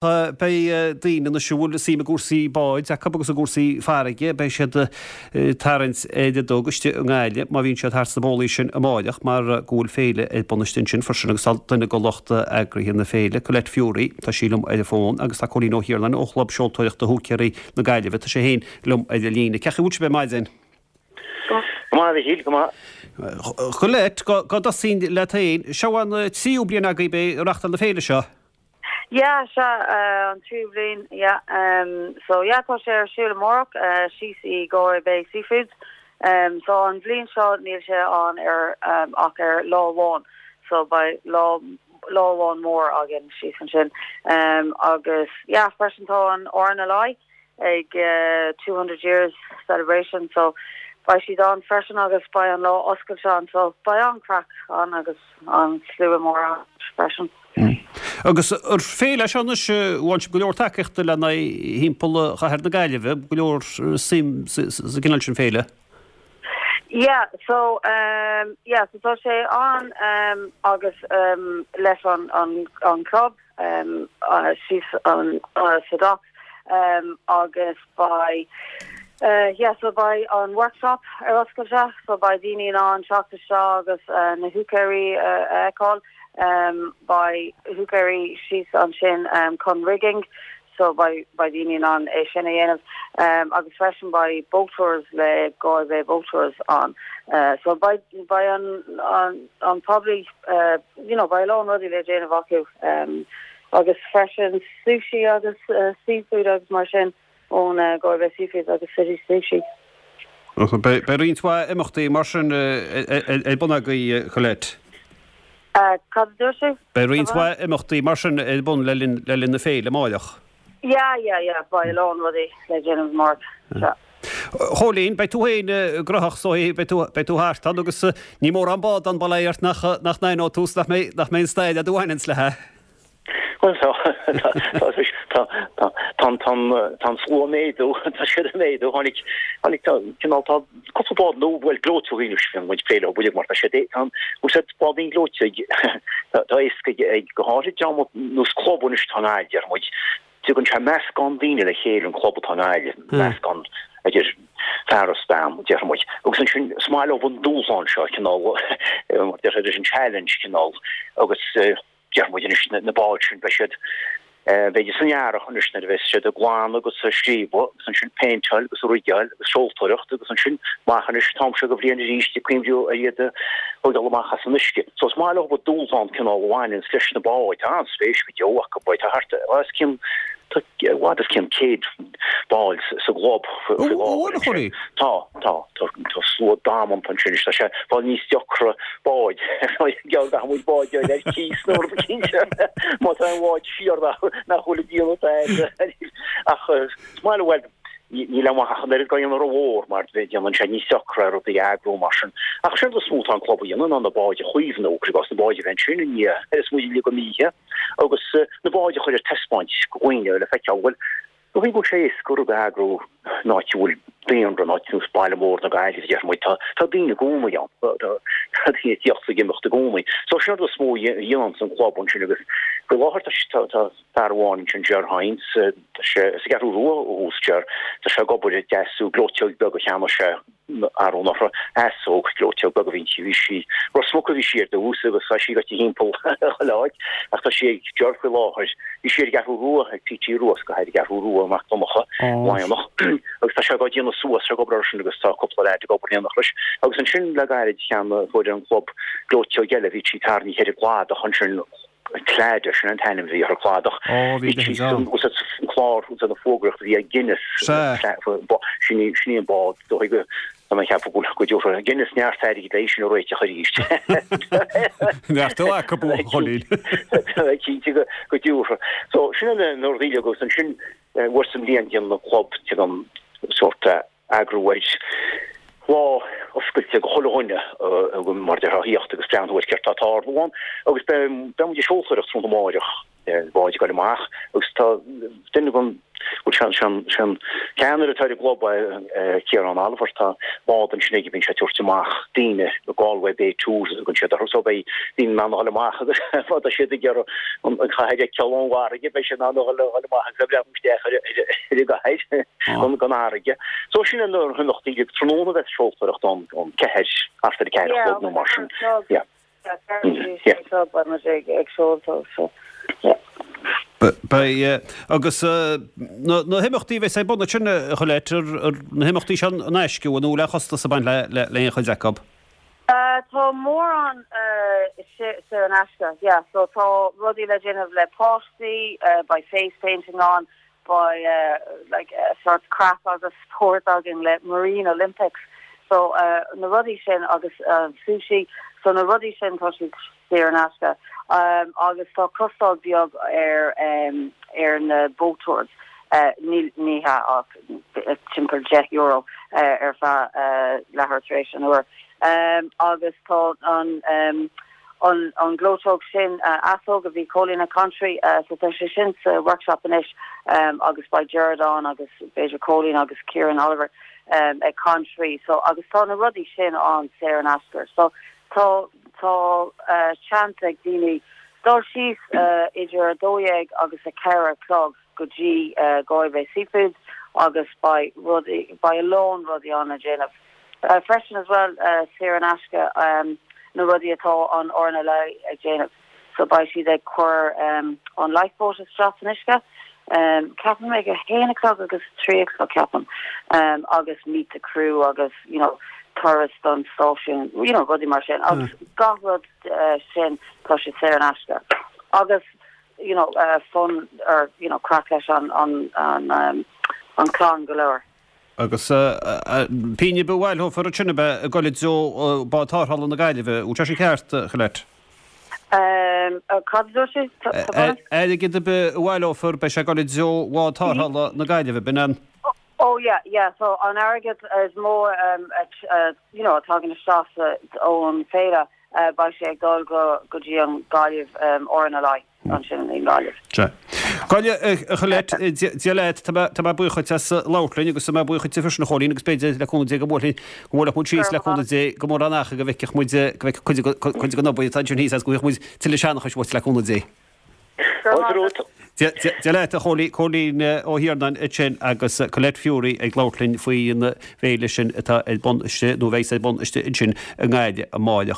Beidh daoine anois a bhfuil suim i gcúrsaí báid acu agus i gcúrsaí farraige, beidh siad ag tarraingt ar a dtug istigh i nGaillimh má bhíonn siad thart sna bólaí sin amáireach mar go bhfuil féile ar bun istigh ansin freisin agus tá duine de lucht eagraithe na féile, Colette Furey, tá sí liom ar an bhfón agus tá Cóilín Ó hIarnáin ó Chlub Seoltóireachta Húicéirí na Gaillimhe, tá sé féin liom ar an líne. Cén chaoi a bhfuil sibh ar maidin? Go maith, a Mhichíl, go maith. Colette, go dtosóinn leat féin, seo an tríú bliain agaibh ag reáchtáil na féile seo. Yeah, sea, an tríú bliain, yeah. So yeah, tá sé ar siúl amárach, síos i Galway Bay Seafoods. So an bhliain seo níl sé ann ar ach ar lá amháin, so beidh lá lá amháin mór againn síos ansin. Agus yeah, freisin tá an RNLI ag 200 years celebration so beidh siad ann freisin agus beidh an lá oscailte ann so beidh an-chraic ann agus an-slua mór ann freisin. Agus ar féile seo anois bhain sibh go leor tacaíochta le n-aghaidh thimpeall chathair na Gaillimhe, go leor suim sa gcineál sin féile. Yeah so um yeah so tá sé ann um agus um leis an an an club um síos an sa docks um agus beidh uh yeah so beidh an workshop ar oscailte so beidh daoine in ann teacht isteach agus uh na húicéirí a fheiceáil um beidh húicéirí síos ansin um chun rigging so beidh beidh daoine in ann é sin a dhéanamh um agus freisin beidh boat tours le Galway Bay Boat Tours ann uh so beidh beidh an an an probably uh you know beidh a lán rudaí le déanamh acu um agus freisin sushi agus uh seafood agus mar sin ón uh, Galway Bay Seafoods agus City Sushi. Beidh roinnt mhaith imeachtaí mar sin ar bun agaibh, Colette. Cad a dúirt tú? Beidh roinnt mhaith imeachtaí mar sin ar bun le linn na féile amáireach. Yeah, yeah, yeah, beidh a lán rudaí le déanamh amárach, sea. A Chóilín, beidh tú féin gnóthach so beidh tú, beidh tú thart ann agus níl mórán bád ann bail ó Dhia ort nach, nach n-aithneoidh tú 's nach mbeidh, nach mbeidh an stail agat a bhaineanns léi. Bhuel tá, tá, tá, tá, tá an slua ag méadú, tá siad ag méadú, tháinig, tháinig, tá, cineál, tá cúpla bád nua, bhuel, gleoiteogaí anois, bíonn muid ag plé leo uilig mar tá siad, tá an, bhfuil siad bádaí gleoite ag, tá, tá éasca ag, ag, go háirid dream nós club anois atá i nGaillimh, deir muid, tugann sé meascán daoine le chéile an club atá i nGaillimh, meascán idir fear is bean, déarfaidh muid. Agus ansin, is maith leo an dúshlán seo, cineál, mar déarfá, leis an challenge, cineál, agus, Déarfaidh muid anois na báid sin, beidh siad, b'fhéidir san earrach anois nuair a bheas siad ag glanadh agus ag scríobadh agus ansin péinteáil agus rigeáil agus seoltóireacht agus ansin amach anois an t-am seo de bhliain arís ag cuimhniú ar iad a thógáil amach as an uisce. So is maith leo an dúshlán cineál a bhaineanns leis na báid. Tá an-spéis go deo acu. Tá thart os cionn, tá i bhfad os cionn 100 ball sa gclub faoi láthair. Tá. Tá, tá, tá slua damanta ansin anois, tá sé ag fáil níos deacra báid, geall go bhfuil báid ar ar cíos nó rud eicínt má tá aon bhád siar nach nach bhfuil ag déanamh tada ach is maith leo, bhuel, níl amach ach an oiread go dhéanamh rómhór mar déanann sé níos deacra rudaí a eagrú mar sin. Ach séard is mó atá an club a dhéanamh ná na báid a chaomhnú, cuir i gcás na báid a bheith ansin i ndiaidh ar is muid uilig imithe agus na báid a chur ar taispeáint go dhaoine le feiceáil, bhuel, Ní go bhfuil sé éasca rud a eagrú in áit a bhfuil daonra, in áit nós baile mór na Gaillimhe, déarfaidh muid, tá tá daoine i gcónaí ann, tá tá daoine ag tíocht is ag imeacht i gcónaí. So sin an rud is mó a dhéananns an club ansin agus faoi láthair tá tá tá fear amháin ansin, Ger Hynes, tá sé as an gCeathrú Rua ó thús, Ger, tá sé ag obair ag deasú gleoiteog beag a cheannaigh sé arú anuraidh, easóg, gleoiteog beag a bhí inti, bhí sí, Ros Muc a bhí sí ar dtús agus tá sí gaibhte thimpeall chuile áit ach tá sí ag Ger faoi láthair. Bhí sí ar an gCeathrú Rua ag P.T. Rua, go háirithe an Cheathrú Rua, Mac Donncha, Laighneach, agus tá sé á déanamh suas, tá sé ag obair air sin agus tá cúpla leaid ag obair in éineacht leis. Agus ansin le gairid cheannaigh fuair an club gleoiteog eile, bhí sí tarraingthe ar an gcladach ansin, Claddagh, sin an t-ainm a bhí ar an cladach. Ó, bhí sí san an clár, san fógraíocht a bhí ag Guinness. Sin í, sin í an bád, dóigh go, tá mé ag ceapadh go bhfuil, go dtabharfaidh Guinness neart airgid léi sin a réiteach arís. Neart ó acu, a Chóilín. Tá mé cinnte go, go dtabharfaidh. So, sin an rud uilig agus ansin, uair sa mbliain déanann an club, déanann sórt eagrú ar lá oscailte go chuile dhuine mar a déarfá a thíocht agus breathnú ar céard tá ag tarlú ann agus beidh muid ag seoltóireacht tráthnóna amáireach, báid ag dul amach agus tá duine den Bhuel, sé an, sé an ceannaire atá ar an gclub é Ciarán Oliver, tá bád ansin aige, bíonn sé ag tabhairt amach daoine, Galway Bay Tours a thugann siad orthu, so beidh daoine in ann a dhul amach agus má tá siad ag iarraidh an chathair a fheiceáil ón bhfarraige, beidh siad in ann a dhul amach agus a bhreathnú isteach ar an gcathair gon fharraige. So sin na himeachtaí, tráthnóna bheas seoltóireacht ann, ón 4, thart ar a 4 a chlog nó mar sin. Yeah. Beidh, agus na himeachtaí a bheas ar bun ansin, a Cholette, ar na himeachtaí seo in aisce, an bhfuil aon chostas ag baint le haon chuid acu? Tá mórán saor in aisce, yeah, so tá rudaí le déanamh le páistí, beidh face painting ann, beidh like sort craic agus spórt againn le Marine Olympics so na rudaí sin agus sushi so na rudaí sin tá siad saor in aisce agus tá costáil beag ar ar na boat tours ní ní hea ach timpeall 10 euro ar feadh leathuair tar éis an uair agus tá an an gleoiteog sin, easóg a bhí Cóilín ag caint faoi, so tá sé sin sa workshop anois agus beidh Gerard ann agus b'fhéidir Cóilín agus Kieran Oliver ag caint faoi so agus tá na rudaí sin ann saor in aisce so tá tá seans ag daoine dul síos idir 12 agus 4 a chlog go dtí Galway Bay Seafoods agus beidh rudaí beidh a lán rudaí ann le déanamh. Freisin as well saor in aisce na rudaí atá an RNLI ag déanamh so beidh siad ag cur an lifeboat isteach san uisce ceapaim ag a haon a chlog agus a trí a chlog ceapaim agus meet the crew agus you know turas don stáisiún you know rudaí mar sin agus gach rud sin tá sé saor in aisce agus you know fun or you know craic leis an an an an clann go léir. Agus pingin ar bith a bhaileofar ansin ab ea ag dul i dtreo Bád Tarrthála na Gaillimhe. Bhfuil sé sin ceart, a Cholette? Cad a dúirt tú? Airgead ar bith a bhaileofar, beidh sé ag dul i dtreo Bhád Tarrthála na Gaillimhe, b'in an? Oh yeah, yeah, so an airgead is mó you know, a tagann isteach ón féile, beidh sé ag dul go dtí an Gaillimh RNLI. ansin i nGaillimh. Sea. Gaillimh, a Cholette, Dia leat, tá mé, tá mé buíoch dhuit as labhairt linn agus tá mé buíoch dhuit freisin a Chóilín agus b'fhéidir le cúnamh Dé go mbuailfinn, go mbuailfeadh muid síos le cúnamh Dé go mórán acha go bhfeicfeadh muid, go bhfeicfeadh cuid, cuid den obair atá ansin thíos agus go bhfaighfeadh muid tuilleadh seanchais uait le cúnamh Dé. Fáilte romhat. Dia, Dia, Dia leat a Chóilín, Cóilín Ó hIarnáin ansin agus Colette Furey ag labhairt linn faoin bhféile sin atá ar bun istigh nó a bheidh ar bun istigh ansin i nGaillimh amáireach.